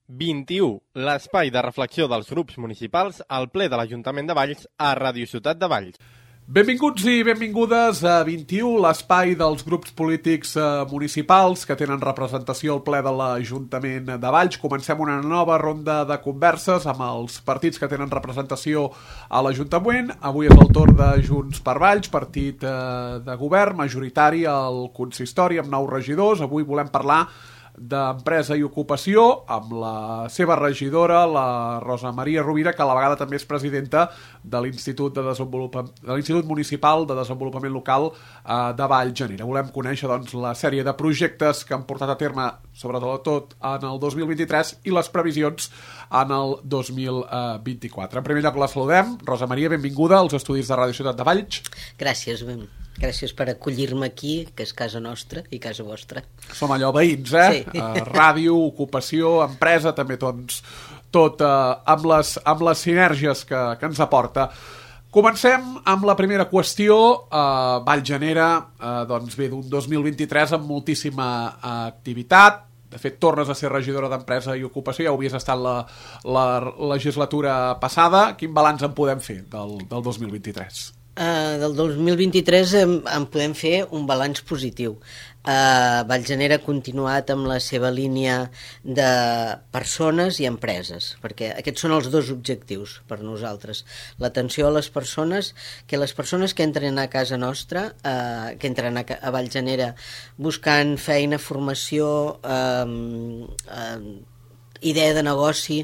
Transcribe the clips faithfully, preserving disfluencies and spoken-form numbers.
vint-i-u, l'espai de reflexió dels grups municipals al ple de l'Ajuntament de Valls a Ràdio Ciutat de Valls. Benvinguts i benvingudes a vint-i-u, l'espai dels grups polítics eh, municipals que tenen representació al ple de l'Ajuntament de Valls. Comencem una nova ronda de converses amb els partits que tenen representació a l'Ajuntament. Avui és el torn de Junts per Valls, partit eh, de govern majoritari al consistori amb nou regidors. Avui volem parlar d'Empresa i Ocupació amb la seva regidora, la Rosa Maria Rovira, que a la vegada també és presidenta de l'Institut de Desenvolupament, de l'Institut Municipal de Desenvolupament Local eh, de Vallgenera. Volem conèixer doncs, la sèrie de projectes que han portat a terme, sobretot en el dos mil vint-i-tres, i les previsions en el dos mil vint-i-quatre. En primer lloc la saludem. Rosa Maria, benvinguda als estudis de Ràdio Ciutat de Valls. Gràcies, ben. Gràcies per acollir-me aquí, que és casa nostra i casa vostra. Som allò veïns, eh? Sí. Uh, ràdio, ocupació, empresa, també doncs, tot uh, amb, les, amb les sinergies que, que ens aporta. Comencem amb la primera qüestió. Uh, Vallgenera, uh, doncs bé, d'un dos mil vint-i-tres amb moltíssima uh, activitat. De fet, tornes a ser regidora d'Empresa i Ocupació, ja ho havies estat la, la legislatura passada. Quin balanç en podem fer del, del dos mil vint-i-tres? Uh, del dos mil vint-i-tres en, en podem fer un balanç positiu. Uh, Vallgenera ha continuat amb la seva línia de persones i empreses, perquè aquests són els dos objectius per nosaltres. L'atenció a les persones, que les persones que entren a casa nostra, uh, que entren a, a Vallgenera buscant feina, formació, uh, uh, idea de negoci,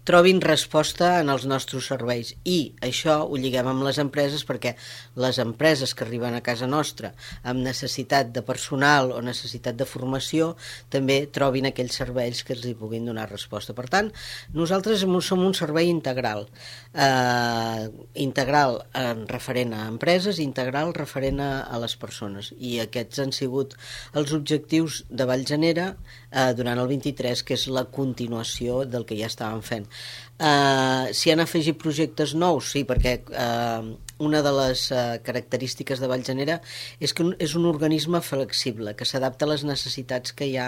trobin resposta en els nostres serveis, i això ho lliguem amb les empreses, perquè les empreses que arriben a casa nostra amb necessitat de personal o necessitat de formació també trobin aquells serveis que els hi puguin donar resposta. Per tant, nosaltres som un servei integral, eh, integral en referent a empreses, integral referent a, a les persones, i aquests han sigut els objectius de Vallgenera eh, durant el vint-i-tres, que és la continuació del que ja estàvem fent. Uh, si han afegit projectes nous, sí, perquè uh, una de les uh, característiques de Vallgenera és que és un organisme flexible, que s'adapta a les necessitats que hi ha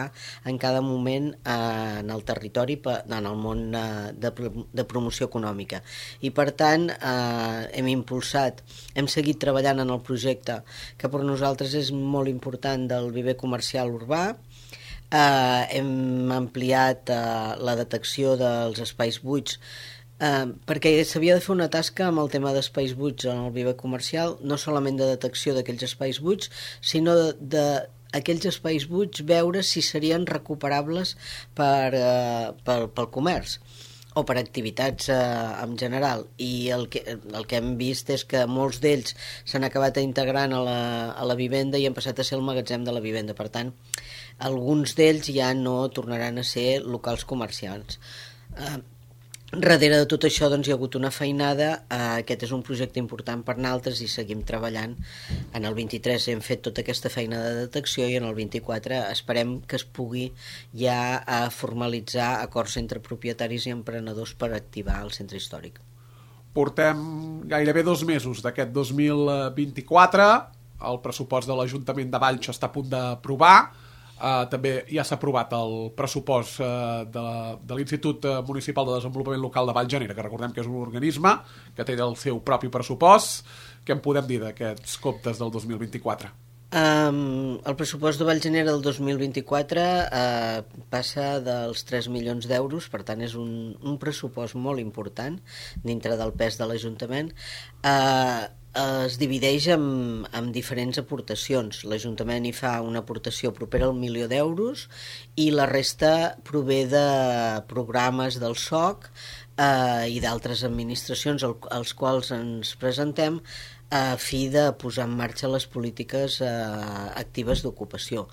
en cada moment uh, en el territori, en el món uh, de, de promoció econòmica. I per tant uh, hem impulsat, hem seguit treballant en el projecte que per nosaltres és molt important, del viver comercial urbà. Uh, hem ampliat uh, la detecció dels espais buits, uh, perquè s'havia de fer una tasca amb el tema d'espais buits en el viver comercial, no solament de detecció d'aquells espais buits, sinó de, de aquells espais buits veure si serien recuperables per, uh, pel, pel comerç o per activitats eh, en general, i el que, el que hem vist és que molts d'ells s'han acabat integrant a la, a la vivenda i han passat a ser el magatzem de la vivenda. Per tant, alguns d'ells ja no tornaran a ser locals comercials. Eh, darrere de tot això doncs, hi ha hagut una feinada. Eh, aquest és un projecte important per nosaltres i seguim treballant. En el vint-i-tres hem fet tota aquesta feina de detecció, i en el vint-i-quatre esperem que es pugui ja eh, formalitzar acords entre propietaris i emprenedors per activar el centre històric. Portem gairebé dos mesos d'aquest dos mil vint-i-quatre. El pressupost de l'Ajuntament de Valls està a punt d'aprovar. Uh, també ja s'ha aprovat el pressupost uh, de, de l'Institut Municipal de Desenvolupament Local de Vallgenera, que recordem que és un organisme que té el seu propi pressupost. Què en podem dir d'aquests comptes del dos mil vint-i-quatre? Um, el pressupost de Vallgenera del dos mil vint-i-quatre uh, passa dels tres milions d'euros, per tant és un, un pressupost molt important dintre del pes de l'Ajuntament. Uh, es divideix en, en diferents aportacions. L'Ajuntament hi fa una aportació propera al milió d'euros, i la resta prové de programes del S O C eh, i d'altres administracions al, als quals ens presentem a fi de posar en marxa les polítiques eh, actives d'ocupació.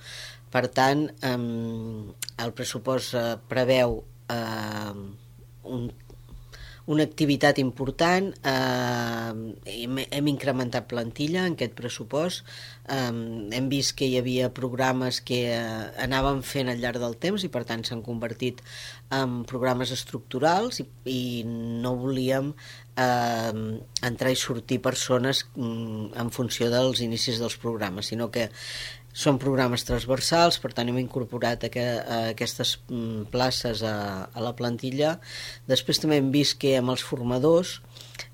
Per tant, eh, el pressupost eh, preveu eh, un una activitat important, eh, hem, hem incrementat plantilla en aquest pressupost, eh, hem vist que hi havia programes que eh, anàvem fent al llarg del temps, i per tant s'han convertit en programes estructurals, i, i no volíem eh, entrar i sortir persones mm, en funció dels inicis dels programes, sinó que Són programes transversals, per tant hem incorporat aqu aquestes places a, a la plantilla. Després també hem vist que amb els formadors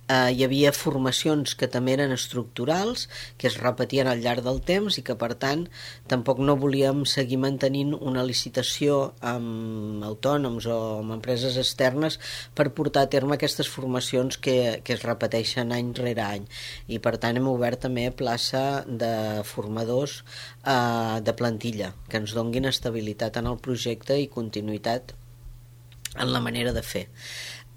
eh, hi havia formacions que també eren estructurals, que es repetien al llarg del temps i que per tant tampoc no volíem seguir mantenint una licitació amb autònoms o amb empreses externes per portar a terme aquestes formacions que, que es repeteixen any rere any, i per tant hem obert també plaça de formadors eh, de plantilla que ens donguin estabilitat en el projecte i continuïtat en la manera de fer.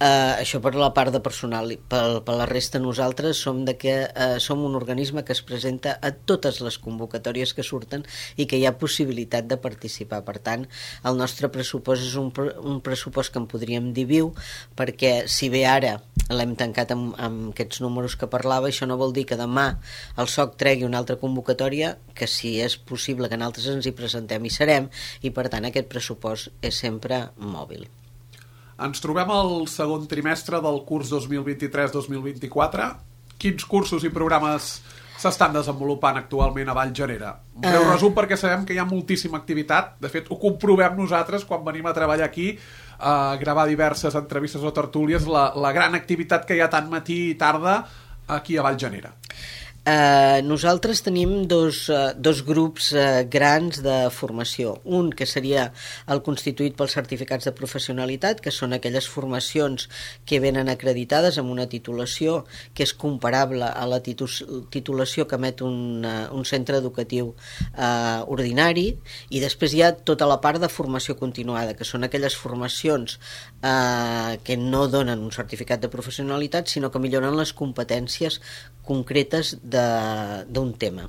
Uh, això per la part de personal. Per, per la resta nosaltres som, de que, uh, som un organisme que es presenta a totes les convocatòries que surten i que hi ha possibilitat de participar. Per tant, el nostre pressupost és un, un pressupost que en podríem dir viu, perquè si bé ara l'hem tancat amb, amb aquests números que parlava, això no vol dir que demà el S O C tregui una altra convocatòria, que si és possible que nosaltres ens hi presentem i serem, i per tant aquest pressupost és sempre mòbil. Ens trobem al segon trimestre del curs dos mil vint-i-tres dos mil vint-i-quatre. Quins cursos i programes s'estan desenvolupant actualment a Vallgenera? Un breu uh... resum, perquè sabem que hi ha moltíssima activitat. De fet, ho comprovem nosaltres quan venim a treballar aquí a gravar diverses entrevistes o tertúlies, la, la gran activitat que hi ha tant matí i tarda aquí a Vallgenera. Uh, nosaltres tenim dos, uh, dos grups uh, grans de formació. Un que seria el constituït pels certificats de professionalitat, que són aquelles formacions que venen acreditades amb una titulació que és comparable a la titu titulació que emet un, uh, un centre educatiu uh, ordinari, i després hi ha tota la part de formació continuada, que són aquelles formacions uh, que no donen un certificat de professionalitat, sinó que milloren les competències concretes d'un tema.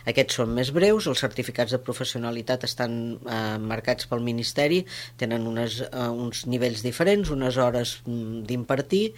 Aquests són més breus, els certificats de professionalitat estan eh, marcats pel Ministeri, tenen unes, eh, uns nivells diferents, unes hores d'impartir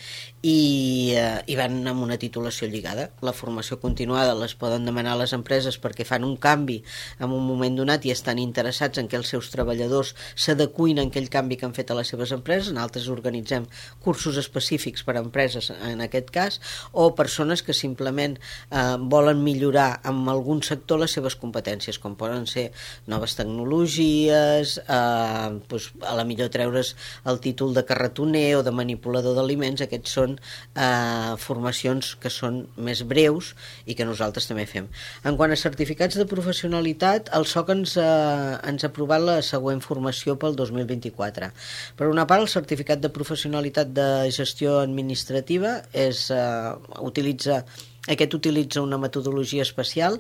i, eh, i van amb una titulació lligada. La formació continuada les poden demanar les empreses perquè fan un canvi en un moment donat i estan interessats en que els seus treballadors s'adecuïn a aquell canvi que han fet a les seves empreses. Nosaltres organitzem cursos específics per a empreses en aquest cas, o persones que simplement eh, volen millorar amb el algun sector les seves competències, com poden ser noves tecnologies, eh, doncs, a la millor treure's el títol de carretoner o de manipulador d'aliments. Aquests són eh, formacions que són més breus i que nosaltres també fem. En quant a certificats de professionalitat, el S O C ens, eh, ens ha aprovat la següent formació pel dos mil vint-i-quatre. Per una part, el certificat de professionalitat de gestió administrativa és, eh, utilitza Aquest utilitza una metodologia especial,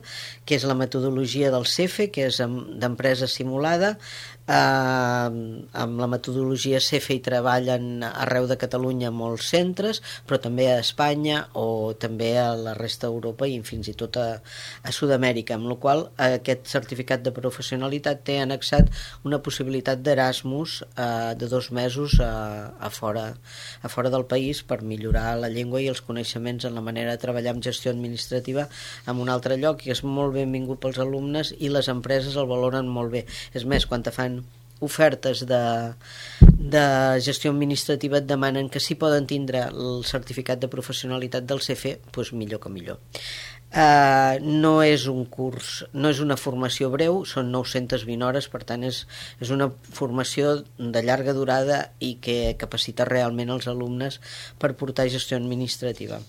que és la metodologia del C E F E, que és d'empresa simulada. Eh, amb la metodologia C E F E hi treballen arreu de Catalunya molts centres, però també a Espanya o també a la resta d'Europa i fins i tot a, a Sud-amèrica, amb la qual aquest certificat de professionalitat té annexat una possibilitat d'Erasmus eh, de dos mesos a, a, fora, a fora del país per millorar la llengua i els coneixements en la manera de treballar amb gestió administrativa en un altre lloc, i és molt benvingut pels alumnes i les empreses el valoren molt bé. És més, quan te fan ofertes de, de gestió administrativa et demanen que si poden tindre el certificat de professionalitat del C E F E, doncs millor que millor. Uh, no és un curs, no és una formació breu, són nou-centes vint hores, per tant és, és una formació de llarga durada i que capacita realment els alumnes per portar gestió administrativa.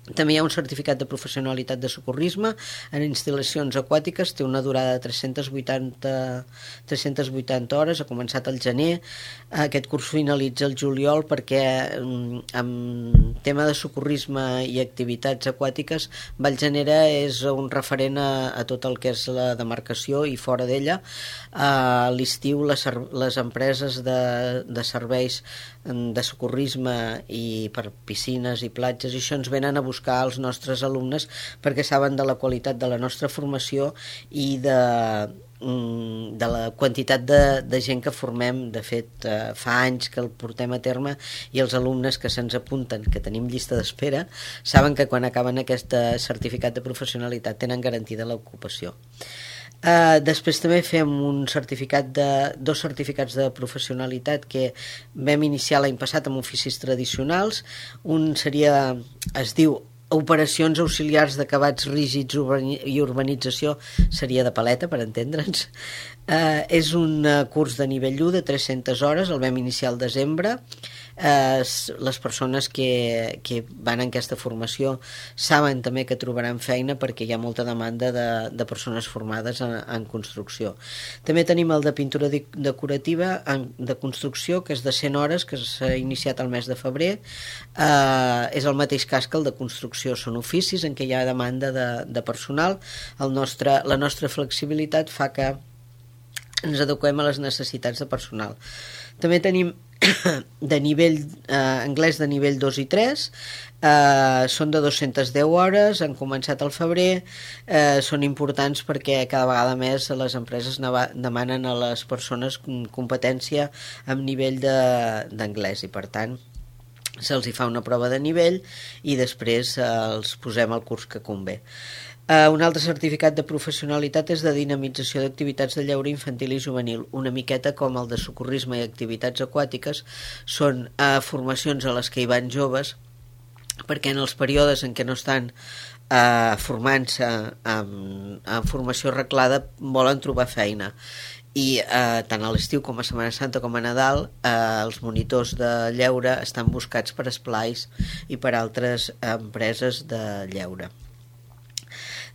També hi ha un certificat de professionalitat de socorrisme en instal·lacions aquàtiques, té una durada de tres-centes vuitanta, tres-centes vuitanta hores, ha començat al gener, aquest curs finalitza el juliol, perquè en tema de socorrisme i activitats aquàtiques Vallgenera és un referent a, a tot el que és la demarcació i fora d'ella. A l'estiu les, les empreses de, de serveis de socorrisme i per piscines i platges i això ens venen a buscar els nostres alumnes perquè saben de la qualitat de la nostra formació i de, de la quantitat de, de gent que formem. De fet, eh, fa anys que el portem a terme i els alumnes que se'ns apunten, que tenim llista d'espera, saben que quan acaben aquest certificat de professionalitat tenen garantida l'ocupació. Uh, després també fem un certificat de, dos certificats de professionalitat que vam iniciar l'any passat amb oficis tradicionals. Un seria, es diu operacions auxiliars d'acabats rígids i urbanització seria de paleta, per entendre'ns. Eh, és un curs de nivell u de tres-centes hores, el vam iniciar al desembre. Eh, les persones que, que van en aquesta formació saben també que trobaran feina perquè hi ha molta demanda de, de persones formades en, en construcció. També tenim el de pintura de, decorativa en, de construcció, que és de cent hores, que s'ha iniciat el mes de febrer. Eh, és el mateix cas que el de construcció, són oficis en què hi ha demanda de, de personal. El nostre, la nostra flexibilitat fa que ens adequem a les necessitats de personal. També tenim de nivell eh, anglès de nivell dos i tres, eh, són de dues-centes deu hores, han començat al febrer, eh, són importants perquè cada vegada més les empreses demanen a les persones competència amb nivell d'anglès i per tant se'ls hi fa una prova de nivell i després eh, els posem al curs que convé. Uh, un altre certificat de professionalitat és de dinamització d'activitats de lleure infantil i juvenil, una miqueta com el de socorrisme i activitats aquàtiques. Són uh, formacions a les que hi van joves perquè en els períodes en què no estan uh, formant-se en, en formació reglada volen trobar feina i eh, tant a l'estiu com a Setmana Santa com a Nadal eh, els monitors de lleure estan buscats per esplais i per altres empreses de lleure.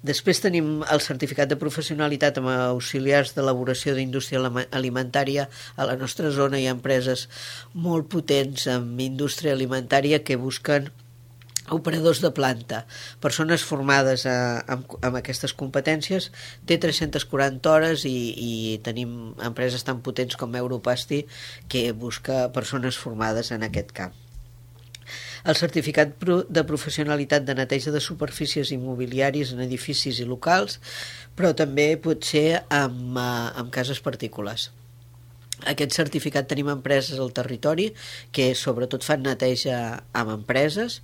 Després tenim el certificat de professionalitat amb auxiliars d'elaboració d'indústria alimentària. A la nostra zona hi ha empreses molt potents en indústria alimentària que busquen operadors de planta, persones formades a, amb, amb aquestes competències. Té tres-centes quaranta hores i, i tenim empreses tan potents com Europasti que busca persones formades en aquest camp. El certificat de professionalitat de neteja de superfícies immobiliàries en edificis i locals, però també pot ser amb, amb cases particulars. Aquest certificat tenim empreses al territori que sobretot fan neteja amb empreses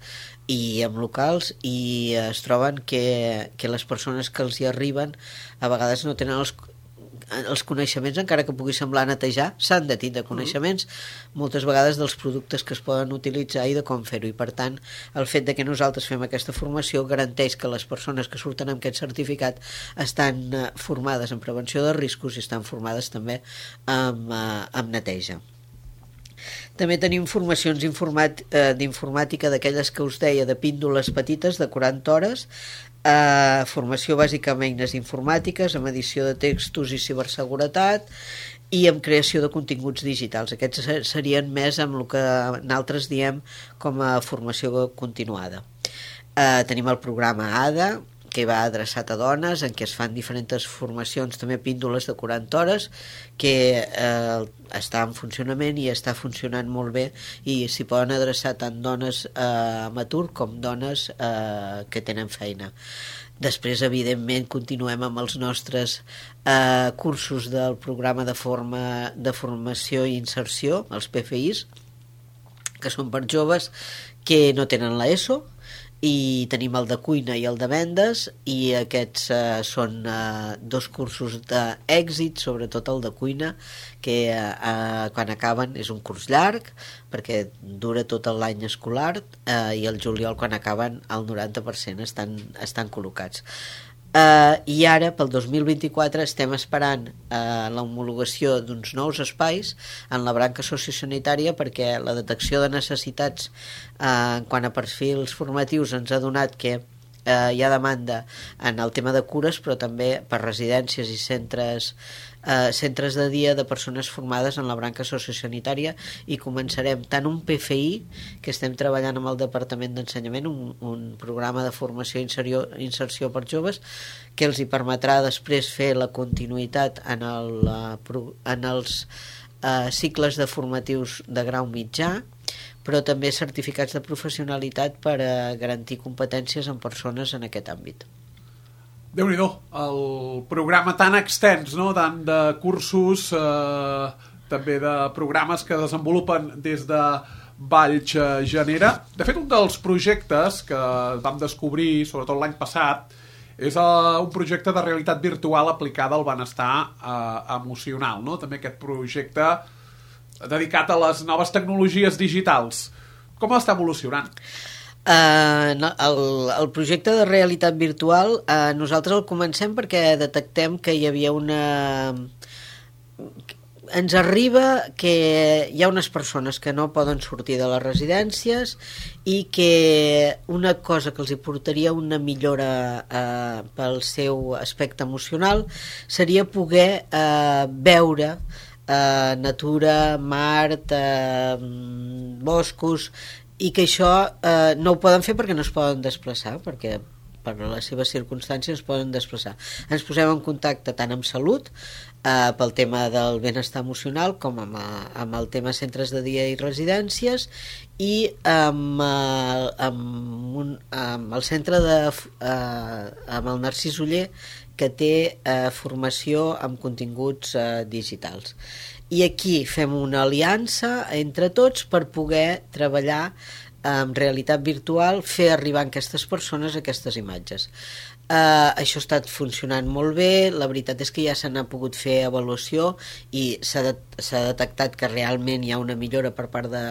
i amb locals i es troben que, que les persones que els hi arriben a vegades no tenen els els coneixements, encara que pugui semblar netejar, s'han de tindre coneixements moltes vegades dels productes que es poden utilitzar i de com fer-ho, i per tant el fet de que nosaltres fem aquesta formació garanteix que les persones que surten amb aquest certificat estan formades en prevenció de riscos i estan formades també amb, amb neteja. També tenim formacions d'informàtica d'aquelles que us deia de píndoles petites de quaranta hores, Uh, formació bàsica amb eines informàtiques, amb edició de textos i ciberseguretat i amb creació de continguts digitals. Aquests serien més amb el que nosaltres diem com a formació continuada. Uh, tenim el programa A D A, que va adreçat a dones, en què es fan diferents formacions, també píndoles de quaranta hores, que eh, està en funcionament i està funcionant molt bé i s'hi poden adreçar tant dones eh, amb atur com dones eh, que tenen feina. Després, evidentment, continuem amb els nostres eh, cursos del programa de, forma, de formació i inserció, els P F Is, que són per joves que no tenen l'ESO, i tenim el de cuina i el de vendes i aquests eh, són eh, dos cursos d'èxit, sobretot el de cuina, que eh, quan acaben és un curs llarg perquè dura tot l'any escolar eh, i el juliol quan acaben el noranta per cent estan, estan col·locats. Uh, i ara pel dos mil vint-i-quatre estem esperant uh, l'homologació d'uns nous espais en la branca sociosanitària perquè la detecció de necessitats uh, en quant a perfils formatius ens ha donat que uh, hi ha demanda en el tema de cures, però també per residències i centres Uh, centres de dia de persones formades en la branca sociosanitària i començarem tant un P F I que estem treballant amb el Departament d'Ensenyament, un, un programa de formació i inserció, inserció per joves que els hi permetrà després fer la continuïtat en, el, en els uh, cicles de formatius de grau mitjà, però també certificats de professionalitat per uh, garantir competències en persones en aquest àmbit. Déu-n'hi-do, el programa tan extens, no? Tant de cursos, eh, també de programes que desenvolupen des de Valls Genera. De fet, un dels projectes que vam descobrir, sobretot l'any passat, és uh, un projecte de realitat virtual aplicada al benestar uh, emocional, no? També aquest projecte dedicat a les noves tecnologies digitals. Com està evolucionant? Uh, no, el, el projecte de realitat virtual uh, nosaltres el comencem perquè detectem que hi havia una... Ens arriba que hi ha unes persones que no poden sortir de les residències i que una cosa que els hi portaria una millora eh, pel seu aspecte emocional seria poder eh, veure eh, natura, mar, eh, boscos, i que això eh, no ho poden fer perquè no es poden desplaçar, perquè per les seves circumstàncies es poden desplaçar. Ens posem en contacte tant amb salut, eh, pel tema del benestar emocional, com amb, amb el tema centres de dia i residències, i amb, eh, amb, un, amb el centre de eh, amb el Narcís Oller, que té eh, formació amb continguts eh, digitals. I aquí fem una aliança entre tots per poder treballar amb realitat virtual, fer arribar a aquestes persones aquestes imatges. Uh, això ha estat funcionant molt bé, la veritat és que ja se n'ha pogut fer avaluació i s'ha de, s'ha detectat que realment hi ha una millora per part de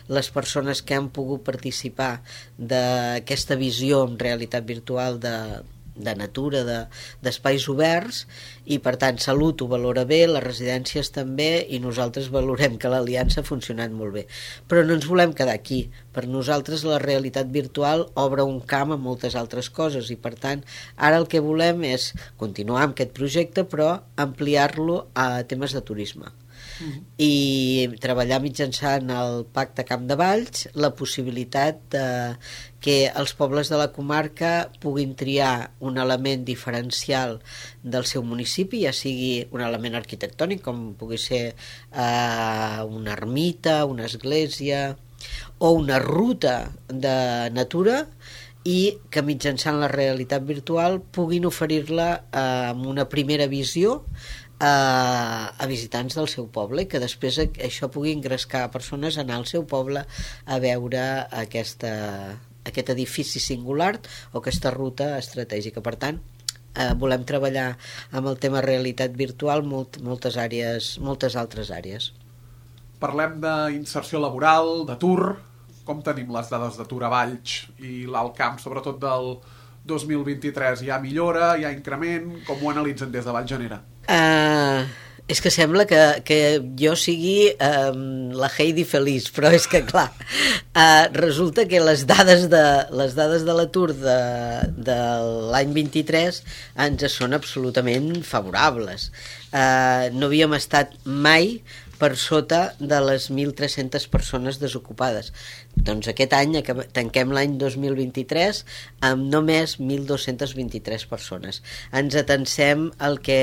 les persones que han pogut participar d'aquesta visió en realitat virtual de de natura, de, d'espais oberts, i per tant Salut ho valora bé, les residències també, i nosaltres valorem que l'aliança ha funcionat molt bé. Però no ens volem quedar aquí. Per nosaltres la realitat virtual obre un camp a moltes altres coses, i per tant ara el que volem és continuar amb aquest projecte però ampliar-lo a temes de turisme. Uh-huh. I treballar mitjançant el Pacte Camp de Valls la possibilitat de que els pobles de la comarca puguin triar un element diferencial del seu municipi, ja sigui un element arquitectònic com pugui ser eh, una ermita, una església o una ruta de natura, i que mitjançant la realitat virtual puguin oferir-la eh, amb una primera visió a, a visitants del seu poble, i que després això pugui engrescar persones a anar al seu poble a veure aquesta, aquest edifici singular o aquesta ruta estratègica. Per tant, eh, volem treballar amb el tema realitat virtual molt, moltes àrees, moltes altres àrees. Parlem d'inserció laboral, d'atur. Com tenim les dades d'atur a Valls i l'Alt Camp, sobretot del dos mil vint-i-tres? Hi ha millora, hi ha increment? Com ho analitzen des de Valls Genera? Uh, és que sembla que, que jo sigui um, la Heidi feliç, però és que clar, uh, resulta que les dades de, les dades de l'atur de, de l'any vint-i-tres ens són absolutament favorables. Uh, no havíem estat mai per sota de les mil tres-centes persones desocupades. Doncs aquest any tanquem l'any dos mil vint-i-tres amb només mil dos-centes vint-i-tres persones. Ens atansem el que,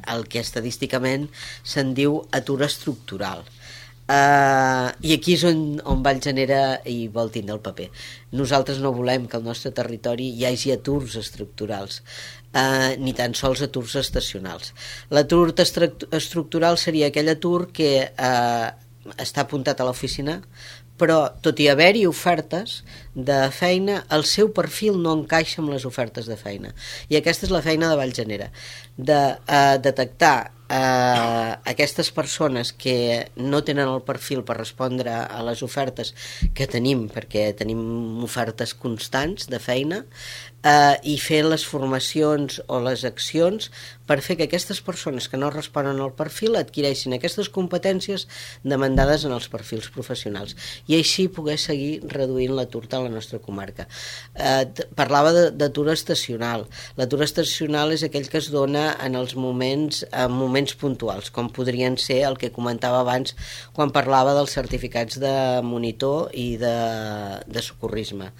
el que estadísticament se'n diu atur estructural. Uh, i aquí és on, on Valls Genera hi vol tindre el paper. Nosaltres no volem que al nostre territori hi hagi aturs estructurals, uh, ni tan sols aturs estacionals. L'atur estructural seria aquell atur que uh, està apuntat a l'oficina, però tot i haver-hi ofertes de feina, el seu perfil no encaixa amb les ofertes de feina. I aquesta és la feina de Valls Genera, de uh, detectar Uh, aquestes persones que no tenen el perfil per respondre a les ofertes que tenim, perquè tenim ofertes constants de feina, uh, i fer les formacions o les accions per fer que aquestes persones que no responen al perfil adquireixin aquestes competències demandades en els perfils professionals, i així poder seguir reduint l'atur de la nostra comarca. Uh, parlava d'atur estacional. L'atur estacional és aquell que es dona en els moments, en moments puntuals, com podrien ser el que comentava abans quan parlava dels certificats de monitor i de, de socorrisme.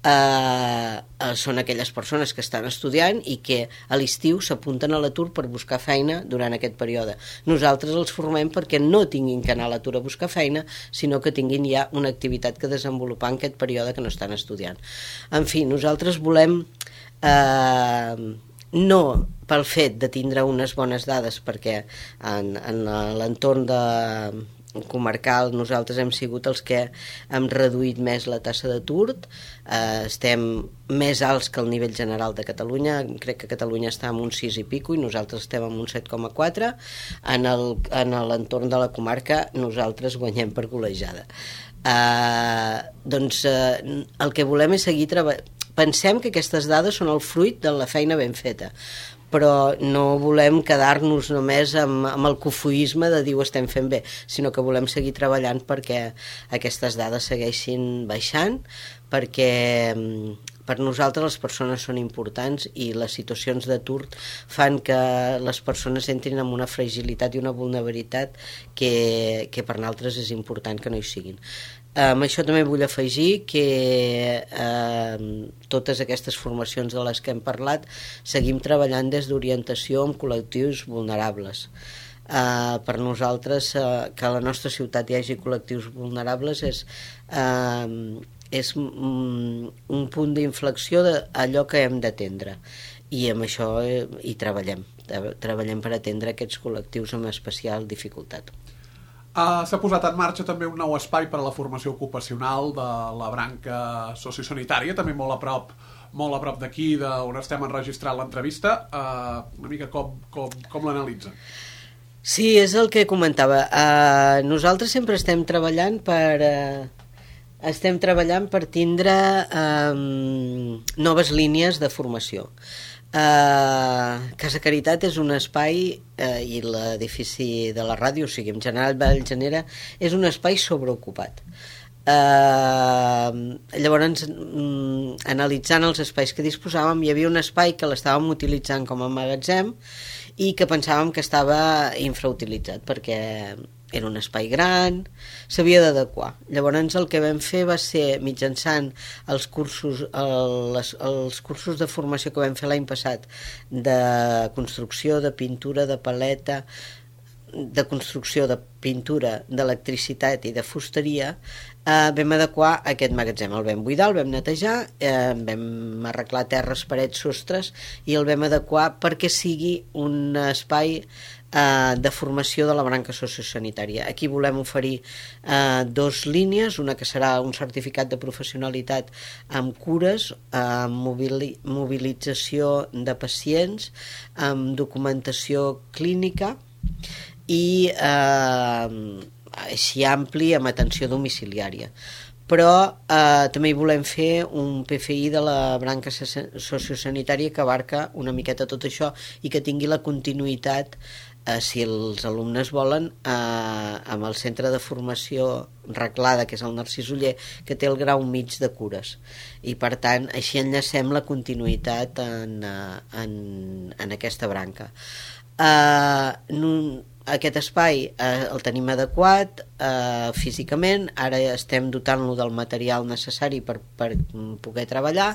Uh, uh, són aquelles persones que estan estudiant i que a l'estiu s'apunten a l'atur per buscar feina durant aquest període. Nosaltres els formem perquè no tinguin que anar a l'atur a buscar feina, sinó que tinguin ja una activitat que desenvolupar en aquest període que no estan estudiant. En fi, nosaltres volem uh, no pel fet de tindre unes bones dades, perquè en, en l'entorn de comarcal nosaltres hem sigut els que hem reduït més la tassa d'atur, eh, estem més alts que el nivell general de Catalunya, crec que Catalunya està en un sis i pico i nosaltres estem en un set coma quatre, en el, en l'entorn de la comarca nosaltres guanyem per golejada. Eh, doncs eh, el que volem és seguir treballant. Pensem que aquestes dades són el fruit de la feina ben feta, però no volem quedar-nos només amb, amb el cofoisme de dir ho estem fent bé, sinó que volem seguir treballant perquè aquestes dades segueixin baixant, perquè per nosaltres les persones són importants i les situacions d'atur fan que les persones entrin en una fragilitat i una vulnerabilitat que, que per nosaltres és important que no hi siguin. Amb això també vull afegir que eh, totes aquestes formacions de les que hem parlat seguim treballant des d'orientació amb col·lectius vulnerables. Eh, per nosaltres eh, que a la nostra ciutat hi hagi col·lectius vulnerables és, eh, és un, un punt d'inflexió d'allò que hem d'atendre i amb això eh, hi treballem. Treballem per atendre aquests col·lectius amb especial dificultat. Uh, s'ha posat en marxa també un nou espai per a la formació ocupacional de la branca sociosanitària, també molt a prop molt a prop d'aquí, on estem enregistrant l'entrevista. Uh, una mica com, com, com l'analitzen? Sí, és el que comentava. Uh, nosaltres sempre estem treballant per... Uh, estem treballant per tindre um, noves línies de formació. Uh, Casa Caritat és un espai uh, i l'edifici de la ràdio, o sigui, en general Vallgenera, és un espai sobreocupat. Uh, llavors, um, analitzant els espais que disposàvem, hi havia un espai que l'estàvem utilitzant com a magatzem i que pensàvem que estava infrautilitzat perquè era un espai gran, s'havia d'adequar. Llavors el que vam fer va ser, mitjançant els cursos, els, els cursos de formació que vam fer l'any passat, de construcció, de pintura, de paleta, de construcció, de pintura, d'electricitat i de fusteria, eh, vam adequar aquest magatzem. El vam buidar, el vam netejar, eh, vam arreglar terres, parets, sostres i el vam adequar perquè sigui un espai de formació de la branca sociosanitària. Aquí volem oferir eh, dos línies, una que serà un certificat de professionalitat amb cures, amb mobili mobilització de pacients, amb documentació clínica i eh, així ampli amb atenció domiciliària. Però eh, també hi volem fer un P F I de la branca sociosanitària que abarca una miqueta tot això i que tingui la continuïtat, eh, si els alumnes volen, eh, amb el centre de formació reglada, que és el Narcís Oller, que té el grau mig de cures. I per tant, així enllacem la continuïtat en, en, en aquesta branca. Eh, no, Aquest espai eh, el tenim adequat eh, físicament, ara estem dotant-lo del material necessari per, per poder treballar,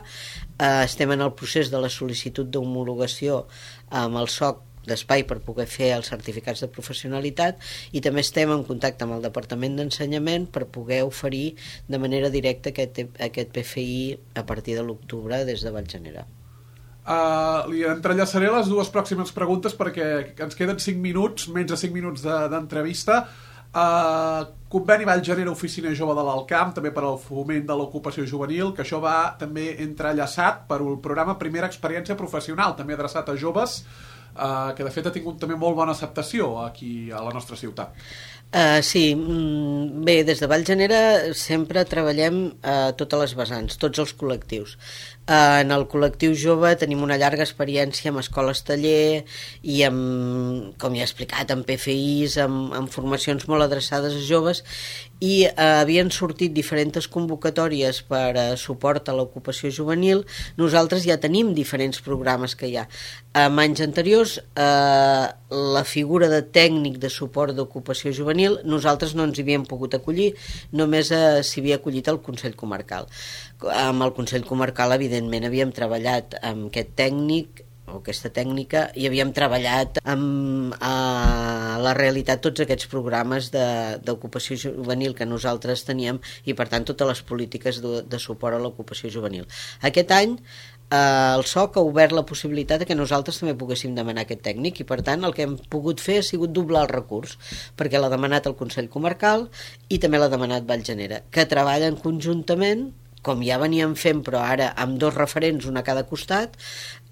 eh, estem en el procés de la sol·licitud d'homologació amb el S O C d'espai per poder fer els certificats de professionalitat i també estem en contacte amb el Departament d'Ensenyament per poder oferir de manera directa aquest, aquest P F I a partir de l'octubre des de Vallgenera. Uh, li entrellaçaré les dues pròximes preguntes perquè ens queden cinc minuts, menys de cinc minuts d'entrevista. De, uh, conveni Vallgenera Oficina Jove de l'Alcamp, també per al foment de l'ocupació juvenil, que això va també entrellaçat per un programa Primera Experiència Professional, també adreçat a joves, uh, que de fet ha tingut també molt bona acceptació aquí a la nostra ciutat. Uh, sí, bé, des de Vallgenera sempre treballem a uh, totes les vessants, tots els col·lectius. Uh, en el col·lectiu jove tenim una llarga experiència amb escoles taller i amb, com ja he explicat, amb P F Is, amb, amb formacions molt adreçades a joves i uh, havien sortit diferents convocatòries per uh, suport a l'ocupació juvenil. Nosaltres ja tenim diferents programes que hi ha. En anys anteriors, uh, la figura de tècnic de suport d'ocupació juvenil nosaltres no ens hi havíem pogut acollir, només uh, s'hi havia acollit el Consell Comarcal. Amb el Consell Comarcal, evidentment, havíem treballat amb aquest tècnic o aquesta tècnica i havíem treballat amb a la realitat tots aquests programes d'ocupació juvenil que nosaltres teníem i, per tant, totes les polítiques de, de suport a l'ocupació juvenil. Aquest any el S O C ha obert la possibilitat de que nosaltres també poguéssim demanar aquest tècnic i per tant el que hem pogut fer ha sigut doblar el recurs perquè l'ha demanat el Consell Comarcal i també l'ha demanat Vallgenera, que treballen conjuntament com ja veníem fent però ara amb dos referents, un a cada costat,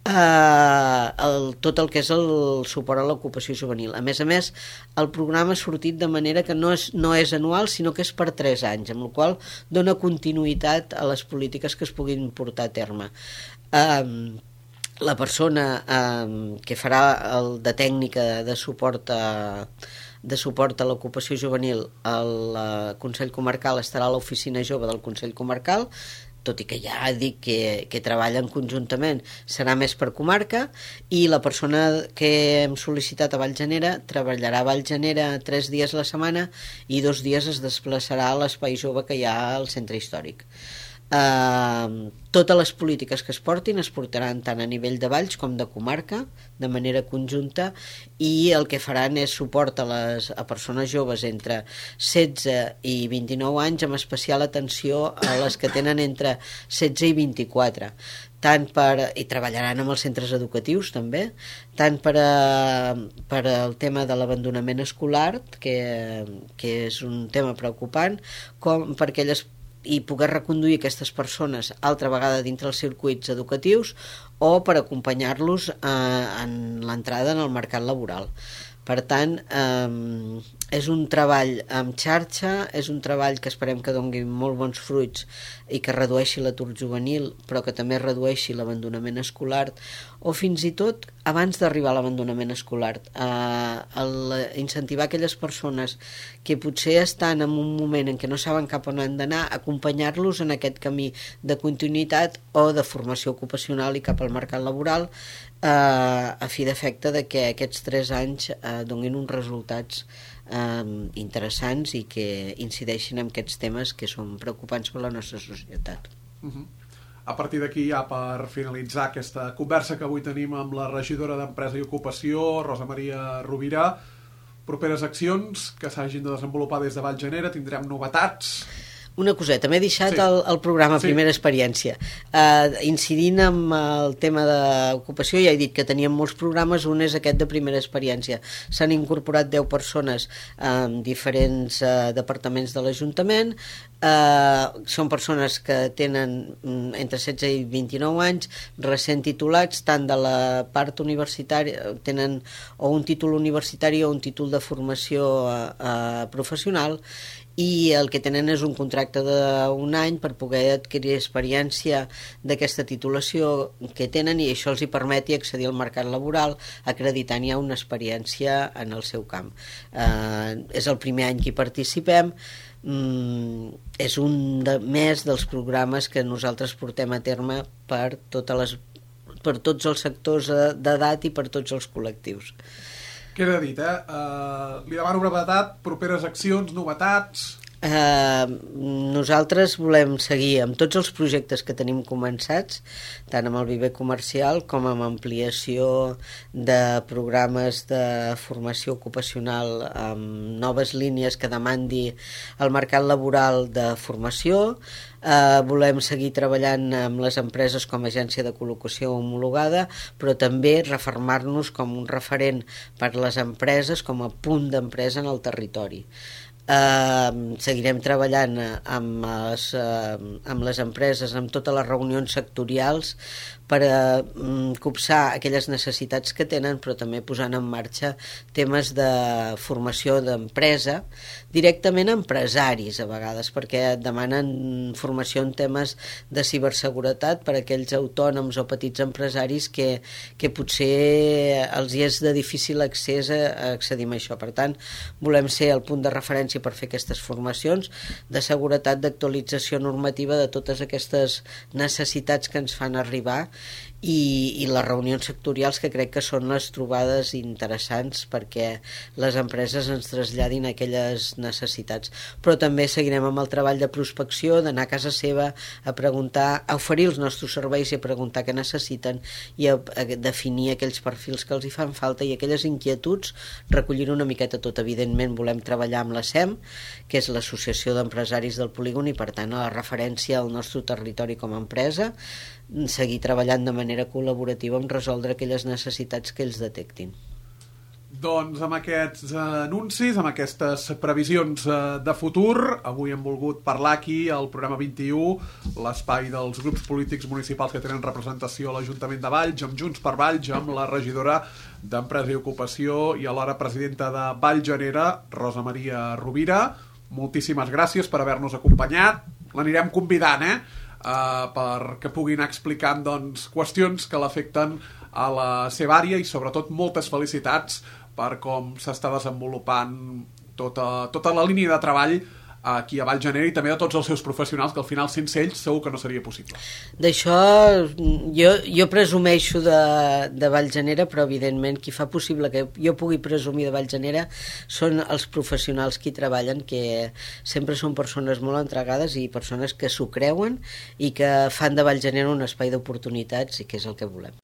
eh, el, tot el que és el suport a l'ocupació juvenil. A més a més, el programa ha sortit de manera que no és, no és anual sinó que és per tres anys, amb la qual cosa dona continuïtat a les polítiques que es puguin portar a terme. Um, la persona um, que farà el de tècnica de suport a, de suport a l'ocupació juvenil al Consell Comarcal estarà a l'oficina jove del Consell Comarcal, tot i que ja dic que, que treballen conjuntament, serà més per comarca, i la persona que hem sol·licitat a Vallgenera treballarà a Vallgenera tres dies a la setmana i dos dies es desplaçarà a l'espai jove que hi ha al centre històric. Uh, totes les polítiques que es portin es portaran tant a nivell de valls com de comarca de manera conjunta i el que faran és suport a, les, a persones joves entre setze i vint-i-nou anys amb especial atenció a les que tenen entre setze i vint-i-quatre tant per, i treballaran amb els centres educatius també, tant per, a, per al tema de l'abandonament escolar que, que és un tema preocupant com per aquelles i poder reconduir aquestes persones altra vegada dintre els circuits educatius o per acompanyar-los eh, en l'entrada en el mercat laboral. Per tant, eh, és un treball amb xarxa, és un treball que esperem que doni molt bons fruits i que redueixi l'atur juvenil, però que també redueixi l'abandonament escolar, o fins i tot, abans d'arribar a l'abandonament escolar, eh, el, incentivar aquelles persones que potser estan en un moment en què no saben cap on han d'anar, acompanyar-los en aquest camí de continuïtat o de formació ocupacional i cap al mercat laboral, eh, a fi d'efecte de que aquests tres anys eh, donin uns resultats eh, interessants i que incideixin en aquests temes que són preocupants per la nostra societat. Uh-huh. A partir d'aquí, ja per finalitzar aquesta conversa que avui tenim amb la regidora d'Empresa i Ocupació, Rosa Maria Rovira, properes accions que s'hagin de desenvolupar des de Vallgenera, tindrem novetats... Una coseta, m'he deixat sí. el, el programa sí. Primera Experiència. Uh, incidint amb el tema d'ocupació, ja he dit que teníem molts programes, un és aquest de Primera Experiència. S'han incorporat deu persones en diferents uh, departaments de l'Ajuntament, uh, són persones que tenen entre setze i vint-i-nou anys, recent titulats, tant de la part universitària, tenen o un títol universitari o un títol de formació uh, uh, professional, i el que tenen és un contracte d'un any per poder adquirir experiència d'aquesta titulació que tenen i això els hi permeti accedir al mercat laboral acreditant ja una experiència en el seu camp. Eh, és el primer any que hi participem, mm, és un de, més dels programes que nosaltres portem a terme per, totes les, per tots els sectors d'edat i per tots els col·lectius. Queda dit, eh? Uh, li demano brevetat, properes accions, novetats... Uh, nosaltres volem seguir amb tots els projectes que tenim començats, tant amb el viver comercial com amb ampliació de programes de formació ocupacional amb noves línies que demandi el mercat laboral de formació. Uh, volem seguir treballant amb les empreses com a agència de col·locació homologada, però també refermar-nos com un referent per les empreses, com a punt d'empresa en el territori. Uh, seguirem treballant amb les, uh, amb les empreses, amb totes les reunions sectorials per uh, copsar aquelles necessitats que tenen, però també posant en marxa temes de formació d'empresa directament a empresaris a vegades, perquè demanen formació en temes de ciberseguretat per a aquells autònoms o petits empresaris que, que potser els hi és de difícil accés a, a accedir a això. Per tant, volem ser el punt de referència per fer aquestes formacions de seguretat, d'actualització normativa de totes aquestes necessitats que ens fan arribar i, i les reunions sectorials, que crec que són les trobades interessants perquè les empreses ens traslladin aquelles necessitats. Però també seguirem amb el treball de prospecció, d'anar a casa seva a preguntar, a oferir els nostres serveis i a preguntar què necessiten i a, a definir aquells perfils que els hi fan falta i aquelles inquietuds, recollir una miqueta tot. Evidentment volem treballar amb la S E M, que és l'Associació d'Empresaris del Polígon, i per tant a la referència al nostre territori com a empresa, seguir treballant de manera col·laborativa en resoldre aquelles necessitats que ells detectin. Doncs amb aquests anuncis, amb aquestes previsions de futur, avui hem volgut parlar aquí al programa vint-i-u, l'espai dels grups polítics municipals que tenen representació a l'Ajuntament de Valls, amb Junts per Valls, amb la regidora d'Empresa i Ocupació i alhora presidenta de Vallgenera, Rosa Maria Rovira. Moltíssimes gràcies per haver-nos acompanyat. L'anirem convidant, eh? Uh, perquè puguin anar explicant doncs, qüestions que l'afecten a la seva àrea i sobretot moltes felicitats per com s'està desenvolupant tota, tota la línia de treball aquí a Vallgenera i també de tots els seus professionals, que al final sense ells segur que no seria possible. D'això jo, jo presumeixo de, de Vallgenera, però evidentment qui fa possible que jo pugui presumir de Vallgenera són els professionals que hi treballen, que sempre són persones molt entregades i persones que s'ho creuen i que fan de Vallgenera un espai d'oportunitats, i que és el que volem.